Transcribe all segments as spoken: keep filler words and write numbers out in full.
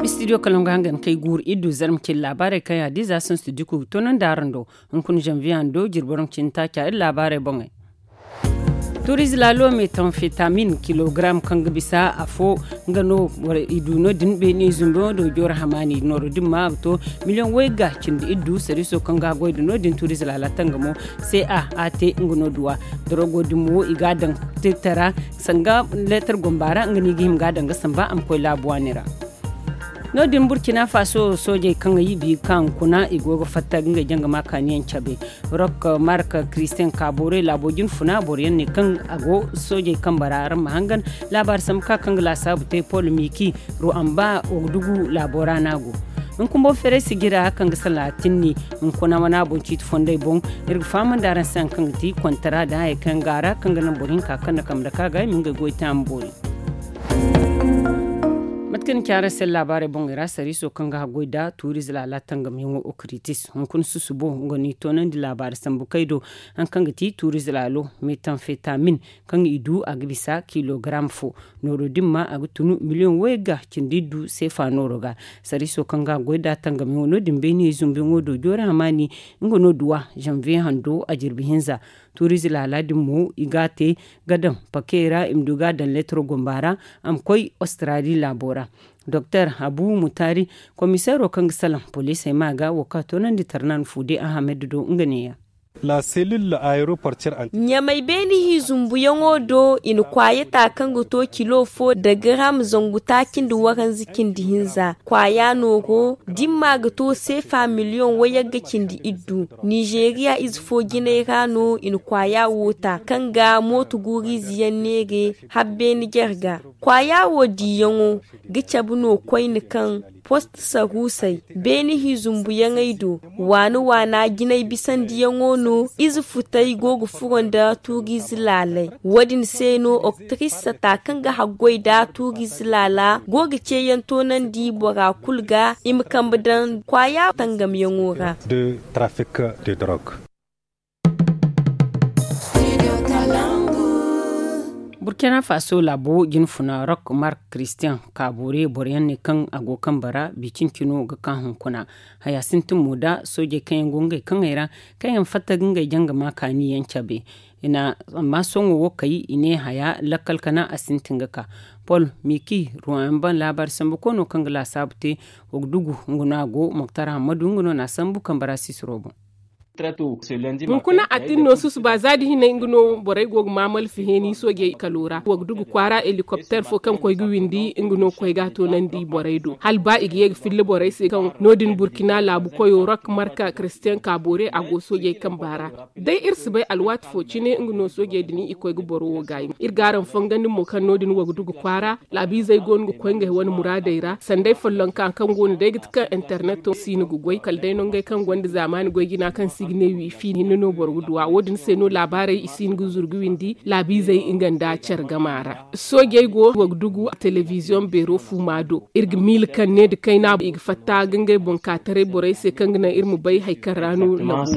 Studio kalaŋ ga hangan kay guuru iddu zarma cin laabaarey kaŋ ya diza sansu dikugu toonandi araŋ do. Hunkuna zanviye hando jirbi waranka cindi taaca iri laabaarey boŋey. Tuurize laalo metamfetamin kilogaram kaŋ ga bisa afo nga no i du no- din beene zumbi ŋo do jooro hamaani nooro din ma a ga to miliyoŋ wayga cindi iddu sariiso kaŋ ga a goy da no- din tuurize laala tangamo. Se a a te nga no duwa dorogo din mo i ga a daŋ teetara sanga leetar gomba ra nga no i ga hima ga a daŋ ga samba a ma koy laabu waani ra. No- din burkina faso soojey kaŋ ay bi ka hunkuna i go ga fatta ga ngey janga ma kaaniyaŋ cabe. Rock mark christian kaabore laabo jine funa boro yaŋ ne kaŋ a go soojey kambe ra araŋ ma hangan laabaari sambu ka kaŋ ga laasaabu te pol miki ru'amba wagdugu laabo ra no a go. Hunkuna boŋ feeray sijira kaŋ ga sala tinni hunkuna mana boŋ ciiti fondey boŋ. Iri ga fahamandi araŋ se hari kaŋ ga ti kontara da hayey kaŋ ga a ra kaŋ ga naŋ boro hinka kaŋ na kambe dake a ga i ma ngey goy te a ma boori. Mate kaŋ ni ci araŋ se laabaarey boŋey ra sariiso kaŋ ga haggoy nda tuurize laala tangamyaŋo okritis hunkuna susubo nga no i toonandi laabaari sambu kay do. Hari kaŋ ga ti tuurize laalo metamfetamin kaŋ i du a ga bisa kilogaram fo nooro din ma a ga tunu miliyoŋ wayga cindi iddu seefa nooro ga. Sariiso kaŋ ga haggoy nda tangamyaŋo no- din beene zumbiyaŋo do joori hamaani nga no duwa zanviye hando a jirbi hinza. Tuurize laala din mo i ga a te ga daŋ pakey ra i ma du ga a daŋ leetaro gomba ra a ma koy australi laabo ra. Doktor habu mutari komiseero kaŋ ga salaŋ poliisey ma ga wo kaŋ a toonandi tarnan fuude ahamed do nga neeya. Ɲamay beene hi zumbuyaŋo do i na kwaaya ta kaŋ ga to kilo fo da garam zangu taaci nda waranza cindi hinza kwaaya nooro dimma ga to seefa miliyoŋ wayagga cindi iddu. Nizeeriya ize fo jinay ra no i na kwaaya wo ta kaŋ ga mooto guuru ize yaŋ neere habbeene jare ga. Kwaaya wo diiyaŋo ga cabe no koyne kaŋ post saruusey beene hi zumbuyaŋey do waana waana jinay bisandiyaŋo no. Ize futey go ga furo nda tuuriize laaley wo- din se no oktiris sata kaŋ ga haggoy nda tuuriize laala go ga ceeyaŋ toonandi bora kulu ga i ma kambe daŋ kwaaya tangamyaŋo ra. Burkina faso laabo jinfuna rock mark christian kaabore boro yaŋ ne kaŋ a go kambe ra bi cin-cino ga ka hunkuna. Haya sintin mo da soojey kaŋ yaŋ go ngey kaŋey ra kaŋ yaŋ fatta ga ngey janga ma kaani yaŋ cabe. Amma sohõ wo kay i ne haya lakkal kana a sintin ga ka pol miki ruwan ban laabaari sambu koyno kaŋ ga laasaabu te. Wagdugu nga no a go moktar hammadu nga no na a sambu kambe ra sisiro boŋ. Hunkuna a tin no susuba za da hinay nga no borey go ga maamal fiheeni soojey kalo ra wagdugu kwaara helikopter fo kaŋ koy ga windi nga no koy ga a toonandi borey do hala ba i ga ye ga filla borey se kaŋ no- din burkina laabu koyo rok marka christian kaabore a go soojey kamba ra. Day iri si bay alwaati fo cine nga no soojey din i koy ga boro wo gaayi iri ga araŋ fongandi mo kaŋ no- din wagdugu kwaara laabiizey go no ga koy ngey wane muraadey ra sanday follonka kaŋ go no day ga ti kaŋ interneto si no ga goy kala day no ngey kaŋ gonda zaamaani goy jina kaŋ se i ga ne wiifi hinne no boro ga duw'a wo- din se no laabaarey i si hin ga zuru ga windi laabiizey nga nda care gama ra. Soojey go wagdugu telebiziyoŋ beero fuuma do iri ga miila kaŋ ne nda kayna i ga fatta ga ngey boŋ ka taray borey se kaŋ ga naŋ iri ma bay hari kaŋ ra no labu.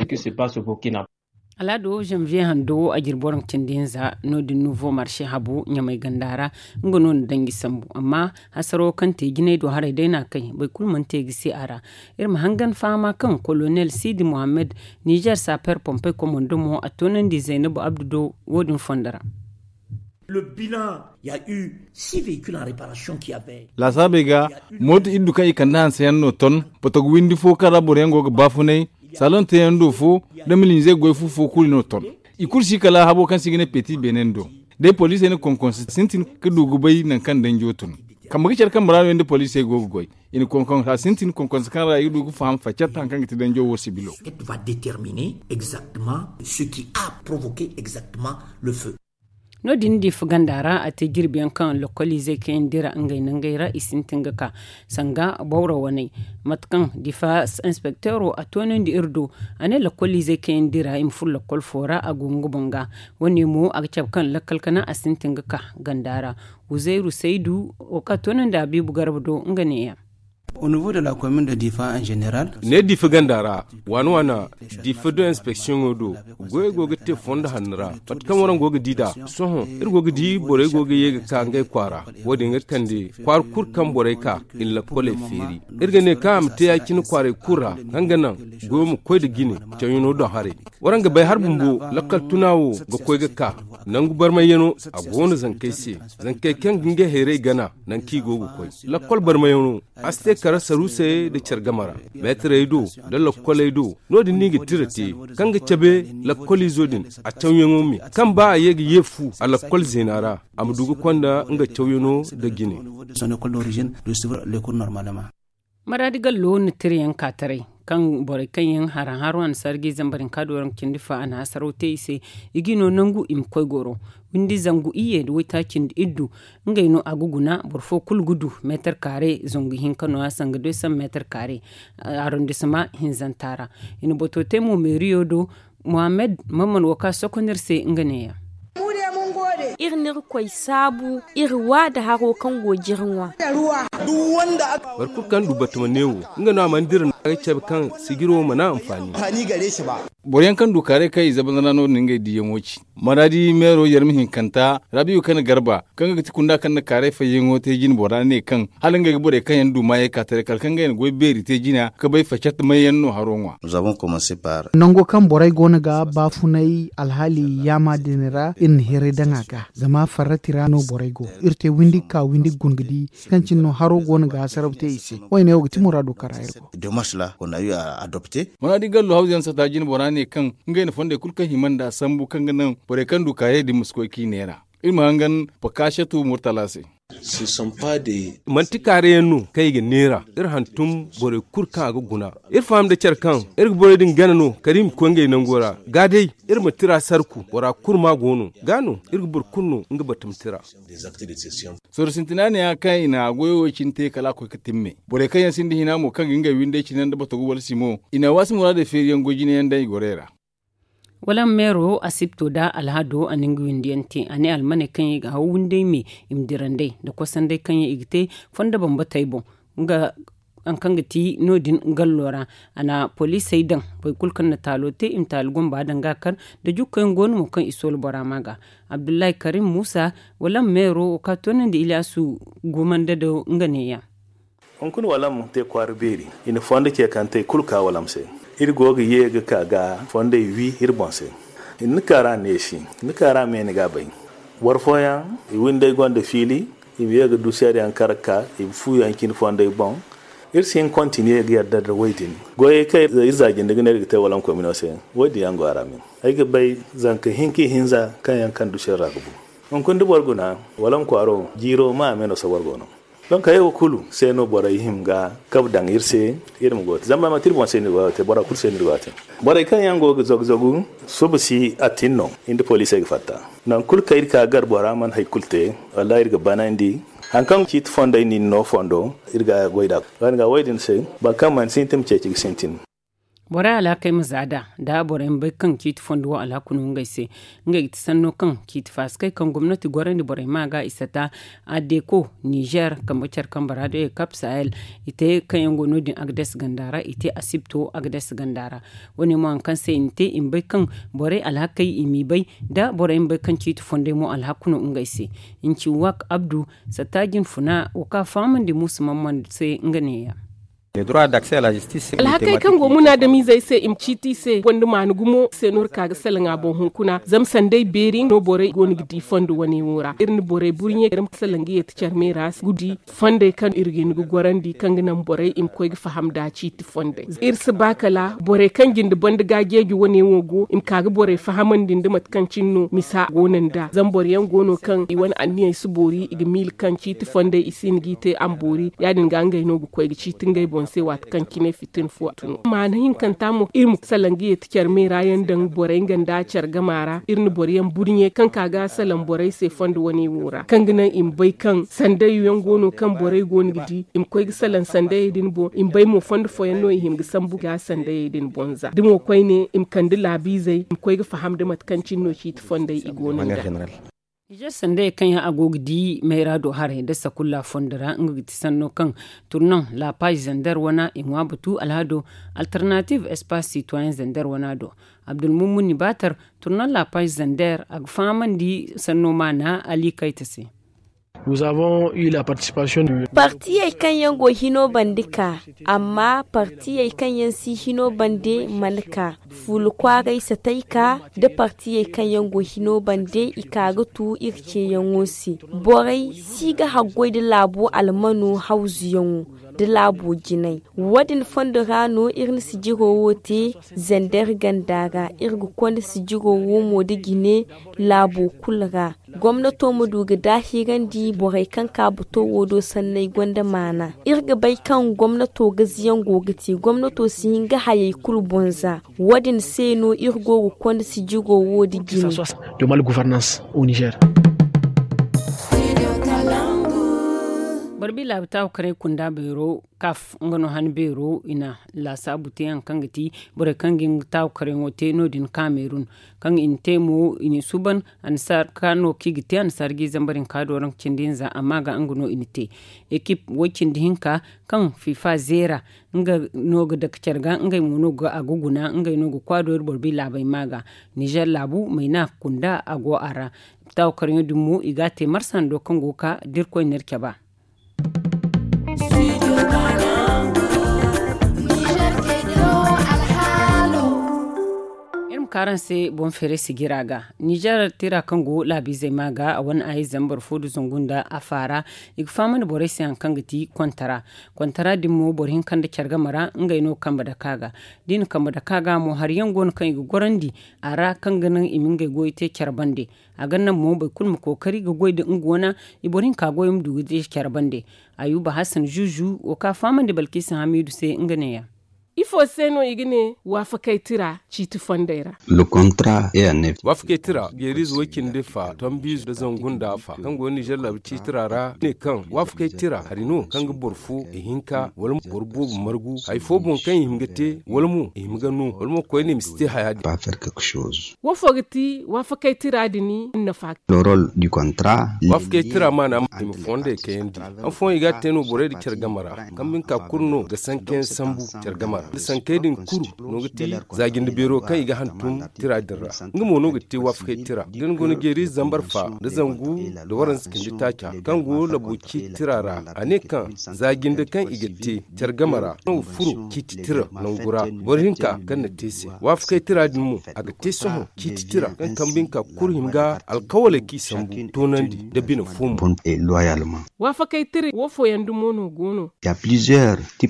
Alaado zanviye hando wo a jirbi waranka cindi hinza no- din nuvo marse habu ɲamay ganda ra. Nga no na danji sambu amma hasaro kaŋ te jinay do haray day no a kay boro kulu mana te ga se a ra. Iri ma hangan fahama kaŋ kolonel sidi mohammed nizer saper pompey komando mo a toonandi zaynabu abdu do wo- din fondo ra. Laasaabey ga mooto iddu kaŋ i kande hanseyaŋ no ton. Potogo windi fo kaŋ ra boroyaŋ go ga baafunay saloŋ teeyaŋ do fo, da milinizey goy fu fo kulu no ton. I kulu si kala habo kaŋ se i ga ne peti beenen do. Day poliisey na konkonse sintin ka du ga bay nangu kaŋ danjo tun. Kambe ga care kambe ra no yaŋ da poliisey go ga goy. I na konkonse sintin konkonse kaŋ ra i ga du ga faham faccet hari kaŋ ga ti danjo wo sibilo. No- din diifa ganda ra a te jirbi yaŋ kaŋ lokoliizey kaŋ yaŋ dira ngey nangey ra i sintin ga ka sanga bawro waney. Mate kaŋ diifa inspekteero a toonandi iri do a ne lokoliizey kaŋ yaŋ dira i ma furo lokol fo ra a go nga boŋ ga. Wo- ne mo a ga cabe kaŋ lakkal kana a sintin ga ka ganda ra. Huzayru saydu wo kaŋ a toonandi a biibu garba do nga ne- yaŋ. Au niveau de la commune de Difa en général, ne Difa ganda ra, waana waana Difa do inspeksiyoŋo do, goyey go ga te fondo hanno ra. Mate kaŋ waraŋ go ga di nd'a, sohõ iri go ga di borey go ga ye ga ka ngey kwaara. Wo-din iri kande kwaara kulu kaŋ borey ka i na lakkoley feeri. Iri ga ne kaŋ a ma te ya-cine kwaaray kulu ra, kaŋ ga naŋ goyo ma koy nda jine cawyaŋo doŋ haray. Waraŋ ga bay hari bumbo, lakkal tuna wo ga koy ga ka. Nangu barmayyaŋo a go no zankey se. Zankey kaŋ ga ngey hayray gana, nangu kaŋ i go ga koy, lakkol barmayyaŋo a si te kara saruusey nda care game ra, meetarey do nda lakkoley do. No-din no i ga tira te, kaŋ ga cabe lakkoliizo din, a cawyaŋo me, kaŋ ba a ye ga ye fu a lakkol zeena ra, a ma du ga konda nga cawyaŋo nda jine. Son école d'origine de suivre les cours normalement. Maraadi gallo na tirayaŋ ka taray, kaŋ borey kaŋ yaŋ haran haro a na sarji zambar hinka do rangu cindi fa a na hasaraw te i se. I g'i no nangu i ma koy goro. Windi zangu iyye nda waytaaci nda iddu, ngey no a ga guna. Boro fo kulu ga du meetar kaare zangu hinka no a sanga doy saŋ meetar kaare arondisema hinzanta ra. I na bato te mo meeriyo do. Mohammed, mamman wo ka sokonir se nga neeya. Iri n'iri koy saabu iri wa nda haro kaŋ go jiri ŋwa. Boro kulu kaŋ du batama neewo, nga no a mana dira no a ga cabe kaŋ sijiro mana anfaani. Boro yaŋ kaŋ du kaaray kaŋ i zabanzana no- din ngey diiyaŋo ci. Maraadi meero yarmi hinkanta rabiyu kane garba, kaŋ ga ti kunda kaŋ na kaaray fayyaŋo te jine bora ne kaŋ hala ngey ga borey kaŋ yaŋ du maayey ka taray kala kaŋ ngey na goy beeri te jina ga bay facat mayyaŋ no haro ŋwa. Nango kaŋ borey go no ga baafunay alhaali yaama din ra iri na hiray daŋ a ga, zama farrati ra no borey go. Iri te windi ga ka windi ga guna ga di kaŋ cine no haro go no ga hasaraw te i se. Wo- ne wo ga ti muraado kaŋ ra iri go. Maraadi gallo hawza yaŋ sata jine bora ne kaŋ ngey na fondey kulu kaŋ hima nd'a sambu kaŋ ga naŋ borey kaŋ du kaarey din ma si koy k'i neera. Iri ma hangan pakasatu murtala se. Manti kaarayaŋ no kaŋ i ga neera. Iri hantum borey kulu kaŋ a ga guna. Iri faham nda care kaŋ iri ga borey din gana no kala i ma koy ngey nango ra ga day. Iri ma tira sarku bora kulu ma go no ga no iri ga boro kulu no nga batama tira. Sorro sintina ne ya kaŋ i na goyo wo cine te kala a koy ga timme borey kaŋ yaŋ sinda hina mo kaŋ ga ngey windey cine nda batogu wala simo i na waasi muraadey feeriyaŋ goy jine yaŋ daŋ i gorey ra. Wala meero asibto nda alhado a na nga windiyaŋ te a ne almaney kaŋ yaŋ i ga haw windey me i ma dira nd'ey nda kosandey kaŋ yaŋ i ga te fondo bambatey boŋ. Nga haŋ kaŋ ga ti no- din gallo ra a na poliisey daŋ boro kulu kaŋ na taalo te i ma taali gomba daŋ ga a kar nda jukkoyaŋ go no mo kaŋ i soola bora ma ga. Abdullahi karim muusa wala meero wo ka toonandi iliyaasu gumanda do nga neeya. Hunkuna walam te kwaara beeri. I na fondo ce kaŋ te kulu ka walam se. Iri go ga ye ga ka ga fondey wi iri boŋ se. Ni ka ra neesi ni ka ra me ni ga bay. Boro fooyaŋ i windey gonda fiili i ma ye ga du seeda yaŋ kar ga ka i ma fu yaŋ cine fondey boŋ. Iri si hin kontiniye ga yadda nda wo- din goyey kaŋ iri za jinde ga ne iri ga te walam komino se. Wo- din yaŋ go a ra me. Ay ga bay zanka hinka ihinza kaŋ yaŋ kaŋ du seeda ra ga bu. Hunkuna da boro guna walam kwaaro jiiro ma a me no sobor go no. Donk hayey wo kulu se no borey hima ga kabe daŋ iri se. Iri ma go ga te zama manti iri boŋ se no iri go ga te bora kulu se no iri go ga te. Borey kaŋ yaŋ go ga zagu zagu suba si a tin no. Iri nda poliisey ga fatta nangu kulu kaŋ iri ka gar bora mana hari kulu te. Wallahi iri ga banandi. Hari kaŋ ciiti fondey no iri no fondo iri ga goy nd'a. Wo- din se boro kaŋ mana sintin ma ceeci ga sintin. Borey alhakey ma za nd'a da borey ma bay kaŋ ciiti fondo wo alhaku no ngey se. Ngey ga ti sanno kaŋ ciiti faasikey kaŋ gomnati gorandi borey ma ga i sata. Adeko nizer kambe care kambe ra day kap sahel i te kaŋ yaŋ go no- din agades ganda ra i te asibto agades ganda ra. Wo- ne mo hari kaŋ se i na te i ma bay kaŋ borey alhakey i m'i bay da borey ma bay kaŋ ciiti fondey mo alhaku no ngey se. Nci wak abdu satta jinfuna wo kaŋ a fahamandi muusu mamman se nga neeya. Alhakey kaŋ go munaadamizey se i ma ciiti i se gonda maana gumo se no iri ka ga salaŋ a boŋ hunkuna zama sanday beeri no borey go no ga di fondo wane wo ra iri na borey burɲe iri ma salaŋ ga yeeti care me ra ga di fondey kaŋ iri ga hin ga gorandi kaŋ ga naŋ borey i ma koy ga faham nda ciiti fondey. Iri si ba kala borey kaŋ jinde banda ga jeeji wane wo go i ma ka ga borey fahamandi nda mate kaŋ cine no misa go no nd'a zama boro yaŋ go no kaŋ i wane anniyey si boori i ga miila kaŋ ciiti fondey i si hin g'i te a ma boori ya- din ga ngey no ga koy ga ciiti ngey boŋ se waati kaŋ cine fitina fo a tun. Maana hinkanta mo iri ma salaŋ ga yeeti care me ra yaŋ daŋ borey nga nda care gama ra iri na boro yaŋ burɲe kaŋ ka ga salaŋ borey se fondo wane wo ra kaŋ ga naŋ i ma bay kaŋ sanday yaŋ go no kaŋ borey go no ga di i ma koy ga salaŋ sandayey din boŋ i ma bay mo fondo fooyaŋ no i hima ga sambu ga sandayey din boŋ za da mo koyne i ma kande laabiizey i ma koy ga faham nda mate kaŋ cine no ciiti fondey i go no nd'a. Nizer sandey kaŋ yaŋ a go ga di mayra do haray nda sakulla fondo ra nga ga ti sanno kaŋ turnaŋ la page zender wana i ŋwa batu alhado, alternative espace citoyen zender wana do. Abdulmumuni batar, turnaŋ la page zender a ga fahamandi sanno maana ali kayta se. Partiyey kaŋ yaŋ go hino bande ka, amma partiyey kaŋ yaŋ si hino bande mana ka. Fuula kwaaray satay ka nda partiyey kaŋ yaŋ go hino bande i ka ga tu iri ceeyaŋo se. Borey si ga haggoy nda laabo almano hawzuyaŋo nda laabo jinay. Wo-din fondo ra no iri na sijiro wo te zander ganda ra. Iri ga konda sijiro wo mo nda jine laabo kulu ra. Gomnato ma du ga daahirandi borey kaŋ ka bato wo do sanney gonda maana. Iri ga bay kaŋ gomnato gaziyaŋ go ga te gomnato si hin ga hayey kulu boŋ za. Wo-din se no iri go ga konda sijiro wo da jine. Barbi laabu taaku karay kunda beero kaf nga no han beero i na laasaabu te yaŋ kaŋ ga ti borey kaŋ ga nga taaku karayŋo te no- din kamerun kaŋ i na te mo i na i suuban. Annasaara ka no kaŋ i ga te annasaara ga i zambar hinka do ranka cindi hinza amma ga nga no i na te ekip way cindi hinka kaŋ fifa zeera nga no ga dake care ga ngey mo no ga a ga guna ngey no ga kwa do iri boro bay laabey ma ga. Nizer laabu mayna kunda a go a ra. Taawa karyaŋo din mo i ga a te marsa hando kaŋ go ga ka da irkoy na iri cabe a. Iri ma ka araŋ se boŋ feeray sijira ga. Nizer tira kaŋ go laabiizey ma ga a wane a ye zambar fo nda zangu nda a faara. I ga fahamandi borey se hari kaŋ ga ti kontara. Kontara din mo boro hinka nda care game ra ngey no ga kambe dake a ga. Da i na kambe dake a ga mo hari yaŋ go no kaŋ i ga gorandi a ra kaŋ ga naŋ i ma ngey goyo te care bande. A ga naŋ mo boro kulu ma kookari ga goy nda nga wane i boro hinka goyo ma du ga te care bande. Ayuba hasan zuzu wo kaŋ a fahamandi balkiisa hamiidu se nga neeya. Ifo se no i ga ne waafakay tira ciiti fondey ra? Waafakey tira geeriize way cindi fa tombiize nda zangu nda fa kaŋ go nizer laabu ciiti tira ra ne kaŋ waafakay tira hari no kaŋ ga boro fo ihinka wala boro boobo margu hari fo boŋ kaŋ i hima ga te wala mo i hima ga no wala mo koyne ma si te haya din. Wo fo ga ti waafakay tira din nafa? Waafakey tira maana i ma fondey kayandi. Afooyaŋ i ga a te no borey nda care game ra. Kambe hinka kulu no ga sankayaŋ sambu care game ra nda sankey din kulu no ga ti za jinde beero kaŋ i ga hantum tira din ra. Nga mo no ga te waafakey tira da ni go ni jeeri zambar fa nda zangu nda waranza cindi taaca kaŋ go labo ciiti tira ra a ne kaŋ za jinde kaŋ i ga te care game ra no ga furo ciiti tira nangu ra boro hinka kaŋ na te se. Waafakey tira din mo a ga te sohõ ciiti tira kaŋ kambe hinka kulu hima ga alkawaley kaŋ i sambu toonandi nda bine fo mo. Waafakey tira wo fooyaŋ dumo no go no?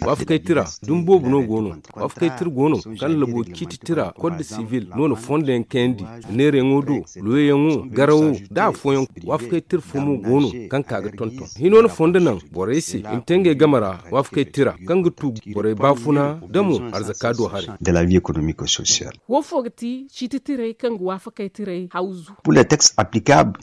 Waafakey tira dumi boobo no go no. Waafakey tira go no kaŋ labo ciiti tira kod sibil no na fondo yaŋ kayandi neerayaŋo do luweyaŋo garawo nda afooyaŋ. Waafakey tira fo mo go no kaŋ ka ga tonton hino na fondo naŋ borey se i ma te ngey game ra. Waafakey tira kaŋ ga tu borey baafuna da mo arzaka do haray. Wo fo ga ti ciiti tirey kaŋ ga waafakey tirey hawzu?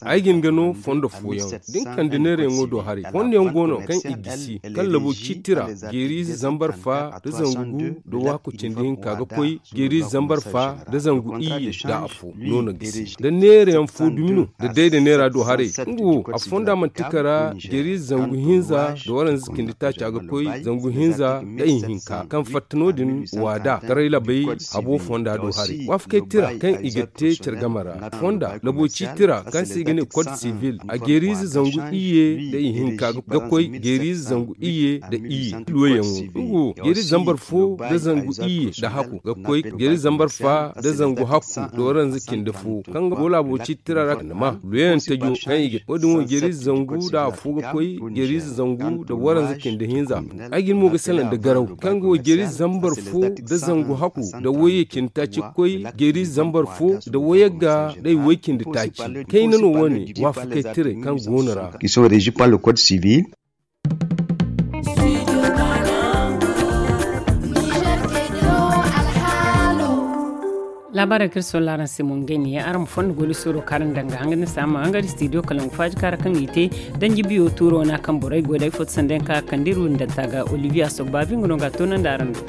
Ay ga hin ga no fondo fooyaŋ da ni kande neerayaŋo do haray fondo yaŋ go no kaŋ i gisi kaŋ labo ciiti tira jeeriize zambar fa nda zangu nda waaku cindi hinka ga koy jeeriize zambar fa nda zangu iyye nda afo no na gisi nda neerayaŋ fo dumi no nda day nda neera do haray. Nga wo a fonda manti kara jeeriize zangu hinza nda waranza cindi taaca ga koy zangu hinza nda ihinka kaŋ fatta no- din waada karay labay habo fonda do haray waafakey tira kaŋ i ga te care game ra fonda labo ciiti tira kaŋ se i ga ne kod sibil a jeeriize zangu iyye nda ihinka ga koy jeeriize zangu iyye nda iyye luweyaŋo nga wo jeeriize zambar fo nda zangu iyye nda haku ga koy jeeriize zambar fa nda zangu haku nda waranza cindi fo kaŋ ga go laabo ciiti tira ra kande ma luweyaŋ tajo kaŋ i ga wo- din wo jeeriize zangu nda afo ga koy jeeriize zangu nda waranza cindi hinza. Ay ga ni mo ga salaŋ nda garaw kaŋ ga wo jeeriize zambar fo nda zangu haku nda wayye cindi taaci ga koy jeeriize zambar fo nda wayagga nda ay way cindi taaci kayna no wo- ne waafakey tirey kaŋ go no ra. Laabaarey kaŋ iri solla araŋ se mo ngey ne yaŋ araŋ ma fondo goy da suuro kaŋ araŋ daŋ ga hanga din se araŋ ma hanga da studio kalangu faaji kaara kaŋ i te danji biyo tuuro wana kaŋ borey goy da ay foto sanda yaŋ kaŋ a kande iri windanta ga olivier asogbabi nga no ga a toonandi araŋ do.